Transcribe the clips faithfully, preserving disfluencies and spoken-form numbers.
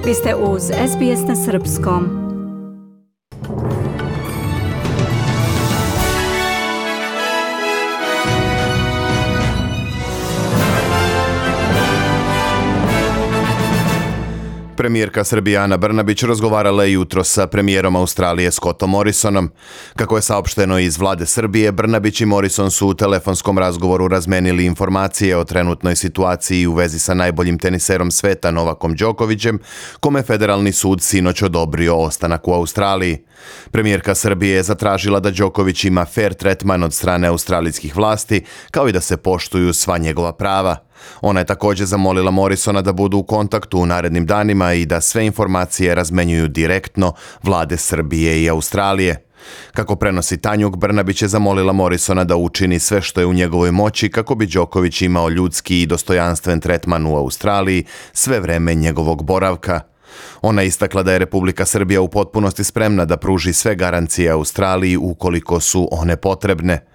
Vi ste uz S B S na srpskom. Premijerka Srbije Ana Brnabić razgovarala je jutros sa premijerom Australije Scottom Morrisonom. Kako je saopšteno iz vlade Srbije, Brnabić i Morrison su u telefonskom razgovoru razmenili informacije o trenutnoj situaciji u vezi sa najboljim teniserom sveta Novakom Đokovićem, kome federalni sud sinoć odobrio ostanak u Australiji. Premijerka Srbije je zatražila da Đoković ima fair tretman od strane australijskih vlasti, kao i da se poštuju sva njegova prava. Ona je također zamolila Morrisona da budu u kontaktu u narednim danima i da sve informacije razmenjuju direktno vlade Srbije i Australije. Kako prenosi Tanjug, Brnabić je zamolila Morrisona da učini sve što je u njegovoj moći kako bi Đoković imao ljudski i dostojanstven tretman u Australiji sve vreme njegovog boravka. Ona je istakla da je Republika Srbija u potpunosti spremna da pruži sve garancije Australiji ukoliko su one potrebne.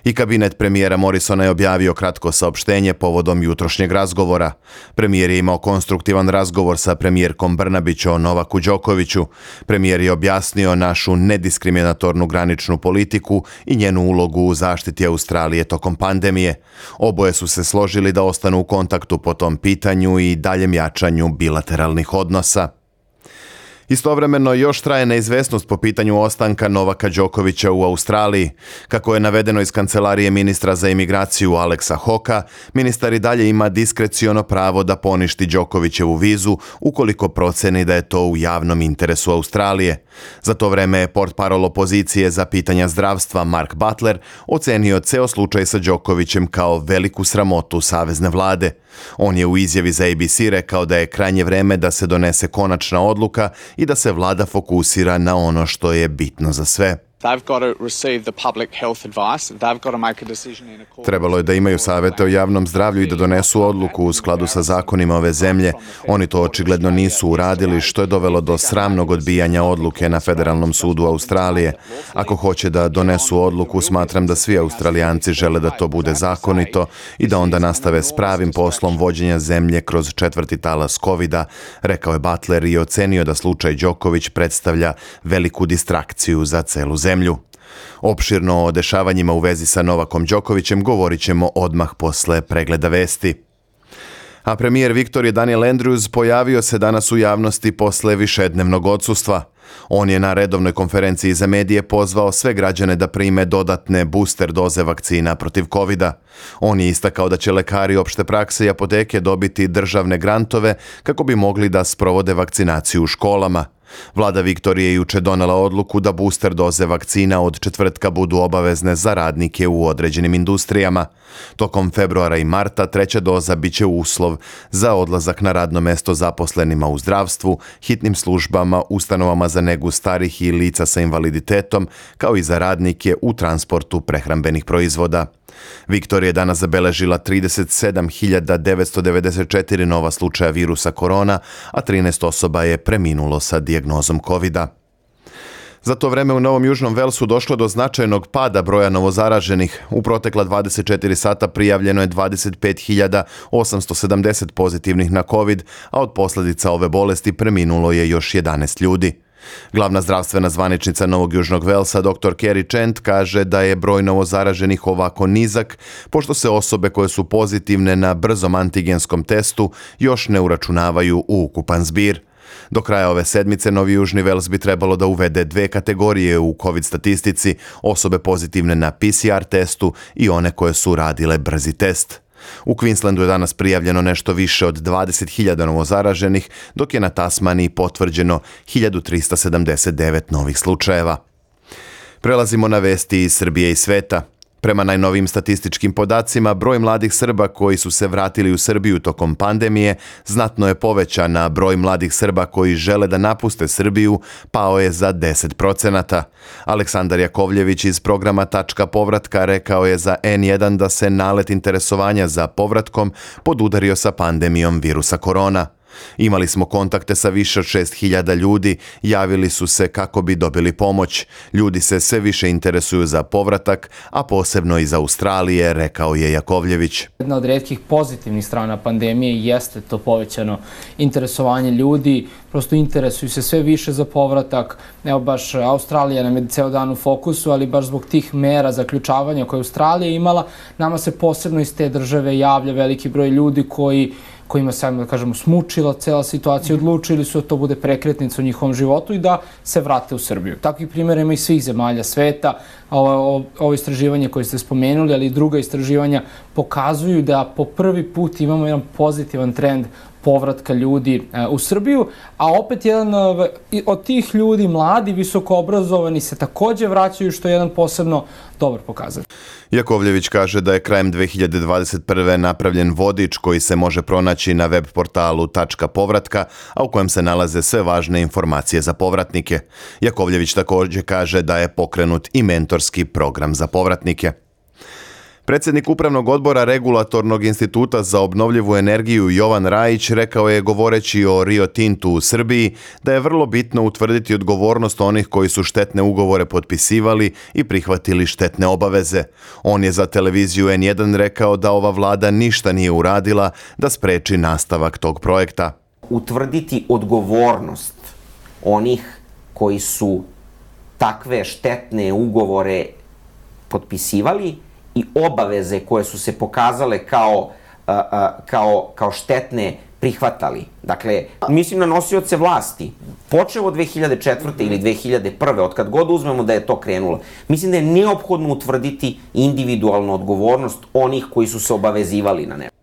I kabinet premijera Morrisona je objavio kratko saopštenje povodom jutrošnjeg razgovora. Premijer je imao konstruktivan razgovor sa premijerkom Brnabić o Novaku Đokoviću. Premijer je objasnio našu nediskriminatornu graničnu politiku i njenu ulogu u zaštiti Australije tokom pandemije. Oboje su se složili da ostanu u kontaktu po tom pitanju i daljem jačanju bilateralnih odnosa. Istovremeno još traje neizvesnost po pitanju ostanka Novaka Đokovića u Australiji. Kako je navedeno iz kancelarije ministra za imigraciju Alexa Hawkea, ministar i dalje ima diskreciono pravo da poništi Đokovićevu vizu ukoliko proceni da je to u javnom interesu Australije. Za to vreme je portparol opozicije za pitanja zdravstva Mark Butler ocenio ceo slučaj sa Đokovićem kao veliku sramotu savezne vlade. On je u izjavi za A B C rekao da je krajnje vreme da se donese konačna odluka i da se vlada fokusira na ono što je bitno za sve. Trebalo je da imaju savete o javnom zdravlju i da donesu odluku u skladu sa zakonima ove zemlje. Oni to očigledno nisu uradili, što je dovelo do sramnog odbijanja odluke na Federalnom sudu Australije. Ako hoće da donesu odluku, smatram da svi Australijanci žele da to bude zakonito i da onda nastave s pravim poslom vođenja zemlje kroz četvrti talas kovida, rekao je Butler i ocenio da slučaj Đoković predstavlja veliku distrakciju za celu zemlju. Opširno o dešavanjima u vezi sa Novakom Đokovićem govorit ćemo odmah posle pregleda vesti. A premijer Viktorije Daniel Andrews pojavio se danas u javnosti posle višednevnog odsustva. On je na redovnoj konferenciji za medije pozvao sve građane da prime dodatne booster doze vakcina protiv kovida. On je istakao da će lekari opšte prakse i apoteke dobiti državne grantove kako bi mogli da sprovode vakcinaciju u školama. Vlada Viktorije juče donela odluku da booster doze vakcina od četvrtka budu obavezne za radnike u određenim industrijama. Tokom februara i marta treća doza biće uslov za odlazak na radno mesto zaposlenima u zdravstvu, hitnim službama, ustanovama za negu starih i lica sa invaliditetom, kao i za radnike u transportu prehrambenih proizvoda. Viktorija je danas zabeležila trideset sedam hiljada devetsto devedeset četiri nova slučaja virusa korona, a trinaest osoba je preminulo sa dijagnozom kovida. Za to vreme u Novom Južnom Velsu došlo do značajnog pada broja novozaraženih. U protekla dvadeset četiri sata prijavljeno je dvadeset pet hiljada osamsto sedamdeset pozitivnih na covid, a od posljedica ove bolesti preminulo je još jedanaest ljudi. Glavna zdravstvena zvaničnica Novog Južnog Velsa, doktor Kerry Chant, kaže da je broj novozaraženih ovako nizak, pošto se osobe koje su pozitivne na brzom antigenskom testu još ne uračunavaju u ukupan zbir. Do kraja ove sedmice Novi Južni Vels bi trebalo da uvede dve kategorije u COVID statistici, osobe pozitivne na P C R testu i one koje su radile brzi test. U Queenslandu je danas prijavljeno nešto više od dvadeset hiljada novozaraženih, dok je na Tasmaniji potvrđeno hiljadu trista sedamdeset devet novih slučajeva. Prelazimo na vesti iz Srbije i sveta. Prema najnovijim statističkim podacima, broj mladih Srba koji su se vratili u Srbiju tokom pandemije znatno je povećan, a broj mladih Srba koji žele da napuste Srbiju pao je za deset procenata. Aleksandar Jakovljević iz programa Tačka povratka rekao je za N jedan da se nalet interesovanja za povratkom podudario sa pandemijom virusa korona. Imali smo kontakte sa više od šest hiljada ljudi, javili su se kako bi dobili pomoć. Ljudi se sve više interesuju za povratak, a posebno iz Australije, rekao je Jakovljević. Jedna od retkih pozitivnih strana pandemije jeste to povećano interesovanje ljudi, prosto interesuju se sve više za povratak. Evo baš Australija nam je ceo dan u fokusu, ali baš zbog tih mera zaključavanja koje je Australija imala, nama se posebno iz te države javlja veliki broj ljudi koji kojima se, da kažemo, smučila cela situacija, odlučili su da to bude prekretnica u njihovom životu i da se vrate u Srbiju. Takvih primjera ima i svih zemalja sveta. Ovo, ovo istraživanje koje ste spomenuli, ali i druga istraživanja pokazuju da po prvi put imamo jedan pozitivan trend povratka ljudi u Srbiju, a opet jedan od tih ljudi, mladi, visoko obrazovani, se takođe vraćaju, što je jedan posebno dobar pokazatelj. Jakovljević kaže da je krajem dve hiljade dvadeset prve napravljen vodič koji se može pronaći na web portalu Tačka povratka, a u kojem se nalaze sve važne informacije za povratnike. Jakovljević takođe kaže da je pokrenut i mentorski program za povratnike. Predsjednik Upravnog odbora Regulatornog instituta za obnovljivu energiju Jovan Rajić rekao je, govoreći o Rio Tintu u Srbiji, da je vrlo bitno utvrditi odgovornost onih koji su štetne ugovore potpisivali i prihvatili štetne obaveze. On je za televiziju en jedan rekao da ova vlada ništa nije uradila da spreči nastavak tog projekta. Utvrditi odgovornost onih koji su takve štetne ugovore potpisivali i obaveze koje su se pokazale kao, kao, kao štetne prihvatali. Dakle, mislim na nosioce vlasti. Počeo od dve hiljade četvrte ili dve hiljade prve, od kad god uzmemo da je to krenulo. Mislim da je neophodno utvrditi individualnu odgovornost onih koji su se obavezivali na nešto.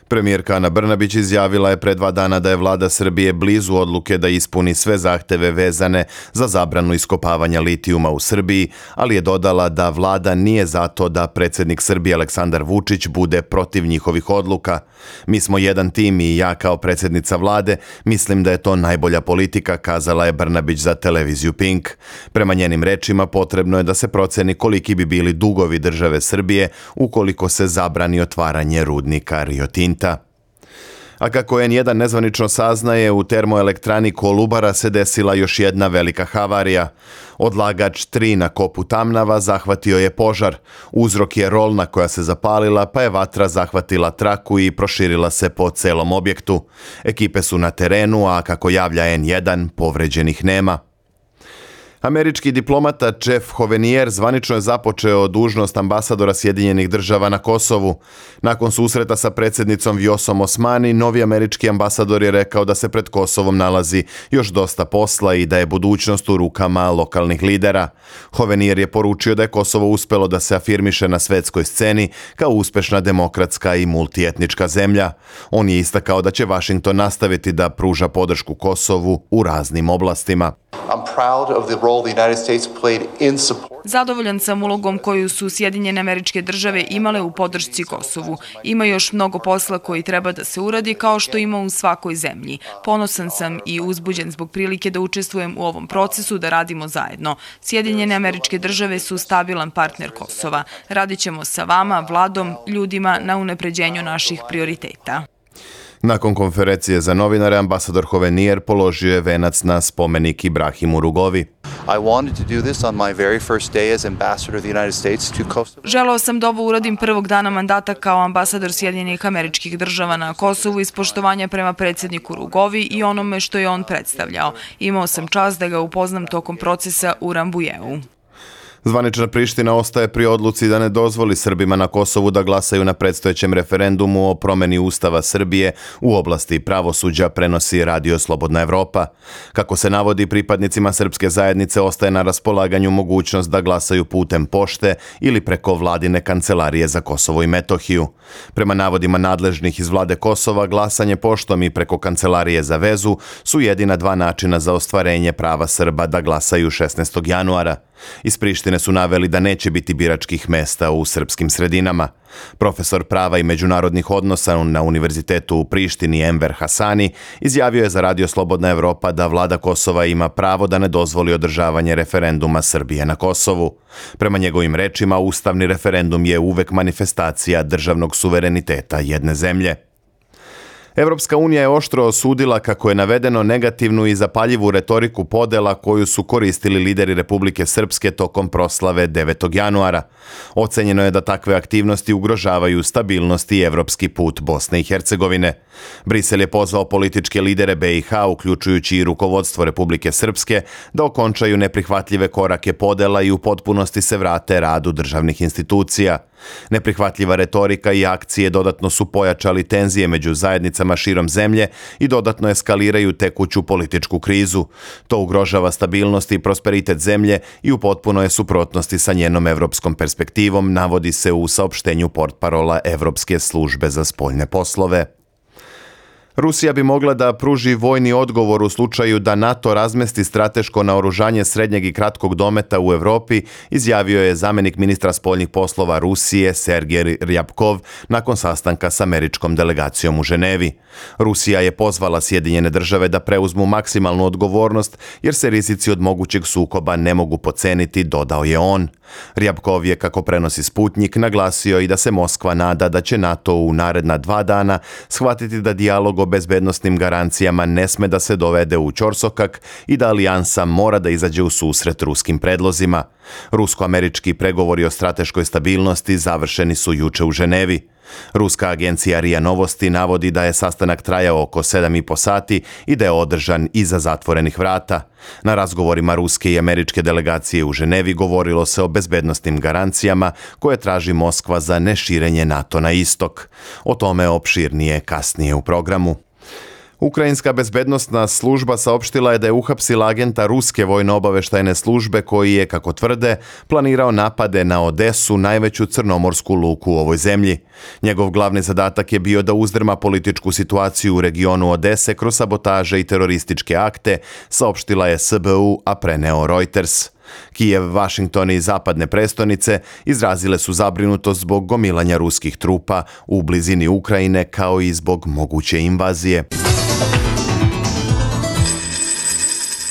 Premijerka Ana Brnabić izjavila je pre dva dana da je vlada Srbije blizu odluke da ispuni sve zahteve vezane za zabranu iskopavanja litijuma u Srbiji, ali je dodala da vlada nije zato da predsjednik Srbije Aleksandar Vučić bude protiv njihovih odluka. Mi smo jedan tim i ja kao predsjednica vlade mislim da je to najbolja politika, kazala je Brnabić za televiziju Pink. Prema njenim rečima potrebno je da se proceni koliki bi bili dugovi države Srbije ukoliko se zabrani otvaranje rudnika Rio Tinta. A kako en jedan nezvanično saznaje, u termoelektrani Kolubara se desila još jedna velika havarija. Odlagač tri na kopu Tamnava zahvatio je požar. Uzrok je rolna koja se zapalila, pa je vatra zahvatila traku i proširila se po celom objektu. Ekipe su na terenu, a kako javlja en jedan, povređenih nema. Američki diplomata Jeff Hovenier zvanično je započeo dužnost ambasadora Sjedinjenih država na Kosovu. Nakon susreta sa predsjednicom Vjosom Osmani, novi američki ambasador je rekao da se pred Kosovom nalazi još dosta posla i da je budućnost u rukama lokalnih lidera. Hovenier je poručio da je Kosovo uspelo da se afirmiše na svetskoj sceni kao uspešna demokratska i multietnička zemlja. On je istakao da će Washington nastaviti da pruža podršku Kosovu u raznim oblastima. Zadovoljan sam ulogom koju su Sjedinjene Američke Države imale u podršci Kosovu. Ima još mnogo posla koji treba da se uradi kao što ima u svakoj zemlji. Ponosan sam i uzbuđen zbog prilike da učestvujem u ovom procesu, da radimo zajedno. Sjedinjene Američke Države su stabilan partner Kosova. Radit ćemo sa vama, vladom, ljudima na unapređenju naših prioriteta. Nakon konferencije za novinare, ambasador Hovenier položio je venac na spomenik Ibrahimu Rugovi. Želeo sam da ovo uradim prvog dana mandata kao ambasador Sjedinjenih Američkih Država na Kosovu iz poštovanja prema predsjedniku Rugovi i onome što je on predstavljao. Imao sam čast da ga upoznam tokom procesa u Rambujeu. Zvanična Priština ostaje pri odluci da ne dozvoli Srbima na Kosovu da glasaju na predstojećem referendumu o promeni Ustava Srbije u oblasti pravosuđa, prenosi Radio Slobodna Evropa. Kako se navodi, pripadnicima srpske zajednice ostaje na raspolaganju mogućnost da glasaju putem pošte ili preko vladine kancelarije za Kosovo i Metohiju. Prema navodima nadležnih iz vlade Kosova, glasanje poštom i preko kancelarije za vezu su jedina dva načina za ostvarenje prava Srba da glasaju šesnaestog januara. Iz Prištine su naveli da neće biti biračkih mesta u srpskim sredinama. Profesor prava i međunarodnih odnosa na Univerzitetu u Prištini Enver Hasani izjavio je za Radio Slobodna Evropa da vlada Kosova ima pravo da ne dozvoli održavanje referenduma Srbije na Kosovu. Prema njegovim rečima, ustavni referendum je uvek manifestacija državnog suvereniteta jedne zemlje. Evropska unija je oštro osudila, kako je navedeno, negativnu i zapaljivu retoriku podela koju su koristili lideri Republike Srpske tokom proslave devetog januara. Ocenjeno je da takve aktivnosti ugrožavaju stabilnost i evropski put Bosne i Hercegovine. Brisel je pozvao političke lidere be i ha, uključujući i rukovodstvo Republike Srpske, da okončaju neprihvatljive korake podela i u potpunosti se vrate radu državnih institucija. Neprihvatljiva retorika i akcije dodatno su pojačali tenzije među zajednicama širom zemlje i dodatno eskaliraju tekuću političku krizu. To ugrožava stabilnost i prosperitet zemlje i u potpunoj je suprotnosti sa njenom evropskom perspektivom, navodi se u saopštenju portparola Evropske službe za spoljne poslove. Rusija bi mogla da pruži vojni odgovor u slučaju da NATO razmesti strateško naoružanje srednjeg i kratkog dometa u Evropi, izjavio je zamenik ministra spoljnih poslova Rusije Sergej Ryabkov nakon sastanka s američkom delegacijom u Ženevi. Rusija je pozvala Sjedinjene države da preuzmu maksimalnu odgovornost jer se rizici od mogućeg sukoba ne mogu poceniti, dodao je on. Ryabkov je, kako prenosi Sputnik, naglasio i da se Moskva nada da će NATO u naredna dva dana shvatiti da dijalog o bezbednostnim garancijama ne sme da se dovede u ćorsokak i da alijansa mora da izađe u susret ruskim predlozima. Rusko-američki pregovori o strateškoj stabilnosti završeni su juče u Ženevi. Ruska agencija RIA Novosti navodi da je sastanak trajao oko sedam i po sati i da je održan iza zatvorenih vrata. Na razgovorima ruske i američke delegacije u Ženevi govorilo se o bezbednostnim garancijama koje traži Moskva za neširenje NATO na istok. O tome opširnije kasnije u programu. Ukrajinska bezbednostna služba saopštila je da je uhapsila agenta ruske vojno-obaveštajne službe koji je, kako tvrde, planirao napade na Odesu, najveću crnomorsku luku u ovoj zemlji. Njegov glavni zadatak je bio da uzdrma političku situaciju u regionu Odese kroz sabotaže i terorističke akte, saopštila je es be u, a preneo Reuters. Kijev, Vašington i zapadne prestonice izrazile su zabrinutost zbog gomilanja ruskih trupa u blizini Ukrajine kao i zbog moguće invazije.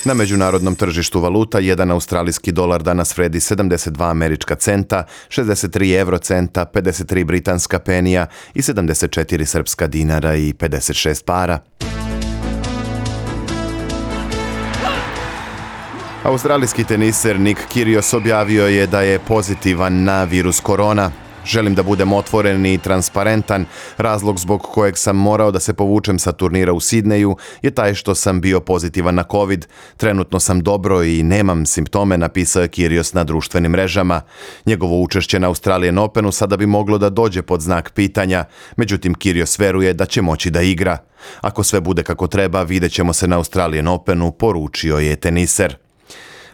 Na međunarodnom tržištu valuta jedan australijski dolar danas vredi sedamdeset dva američka centa, šezdeset tri evrocenta, pedeset tri britanska penija i sedamdeset četiri srpska dinara i pedeset šest para. Australijski teniser Nick Kyrgios objavio je da je pozitivan na virus korona. Želim da budem otvoren i transparentan. Razlog zbog kojeg sam morao da se povučem sa turnira u Sidneju je taj što sam bio pozitivan na COVID. Trenutno sam dobro i nemam simptome, napisao je Kyrgios na društvenim mrežama. Njegovo učešće na Australian Openu sada bi moglo da dođe pod znak pitanja. Međutim, Kyrgios veruje da će moći da igra. Ako sve bude kako treba, vidjet ćemo se na Australian Openu, poručio je teniser.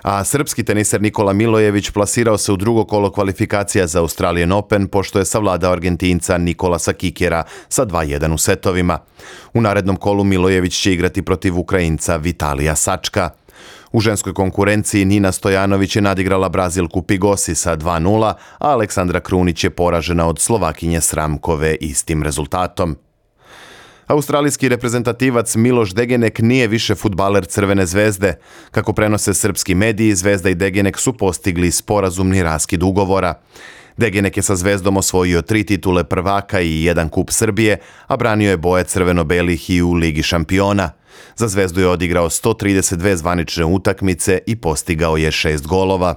A srpski teniser Nikola Milojević plasirao se u drugo kolo kvalifikacija za Australian Open pošto je savladao Argentinca Nikolasa Kikera sa dva jedan u setovima. U narednom kolu Milojević će igrati protiv Ukrajinca Vitalija Sačka. U ženskoj konkurenciji Nina Stojanović je nadigrala Brazilku Pigosi sa dva nula, a Aleksandra Krunić je poražena od Slovakinje Sramkove istim rezultatom. Australijski reprezentativac Miloš Degenek nije više fudbaler Crvene zvezde. Kako prenose srpski mediji, Zvezda i Degenek su postigli sporazumni raskid ugovora. Degenek je sa Zvezdom osvojio tri titule prvaka i jedan kup Srbije, a branio je boje crveno-belih i u Ligi šampiona. Za Zvezdu je odigrao sto trideset dve zvanične utakmice i postigao je šest golova.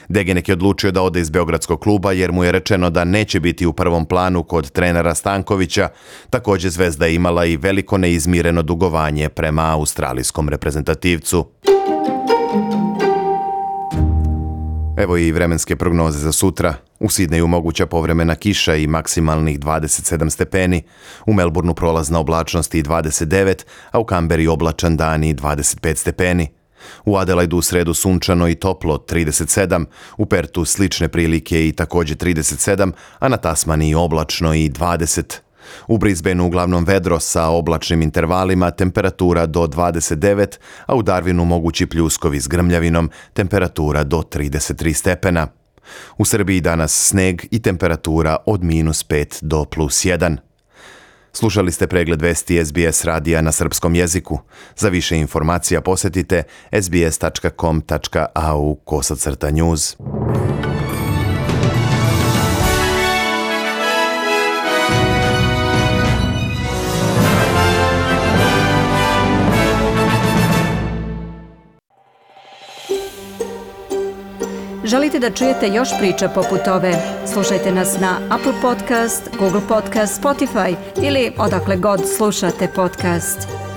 Degenek je odlučio da ode iz beogradskog kluba jer mu je rečeno da neće biti u prvom planu kod trenera Stankovića. Također Zvezda je imala i veliko neizmireno dugovanje prema australijskom reprezentativcu. Evo i vremenske prognoze za sutra. U Sidneju moguća povremena kiša i maksimalnih dvadeset sedam stepeni. U Melbourneu prolazna oblačnost i dvadeset devet, a u Kamberi oblačan dan i dvadeset pet stepeni. U Adelaidu u sredu sunčano i toplo trideset sedam, u Pertu slične prilike i također trideset sedam, a na Tasmaniji oblačno i dvadeset. U Brisbaneu uglavnom vedro sa oblačnim intervalima, temperatura do dvadeset devet, a u Darwinu mogući pljuskovi s grmljavinom, temperatura do trideset tri stepena. U Srbiji danas sneg i temperatura od minus pet do plus jedan. Slušali ste pregled vesti es be es radija na srpskom jeziku. Za više informacija posjetite es be es tačka com tačka a u kosacrta news. Želite da čujete još priča poput ove? Slušajte nas na Apple Podcast, Google Podcast, Spotify ili odakle god slušate podcast.